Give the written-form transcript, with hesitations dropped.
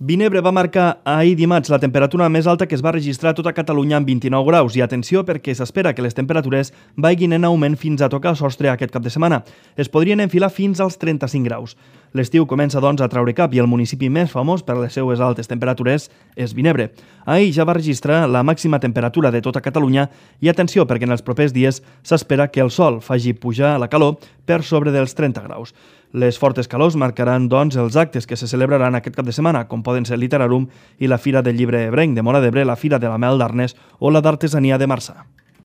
Vinebre va marcar ahir dimarts la temperatura més alta que es va registrar a tota Catalunya amb 29 graus i atenció perquè s'espera que les temperatures vagin en augment fins a tocar el sostre aquest cap de setmana. Es podrien enfilar fins als 35 graus. L'estiu comença doncs a traure cap i el municipi més famós per les seues altes temperatures és Vinebre. Ahir ja va registrar la màxima temperatura de tota Catalunya i atenció perquè en els propers dies s'espera que el sol faci pujar la calor per sobre dels 30 graus. Les fortes calors marcaran, doncs, els actes que se celebraran aquest cap de setmana, com poden ser Literarum i la Fira del Llibre Ebrenc de Móra d'Ebre, la Fira de la Mel d'Arnes o la d'Artesania de Marçà.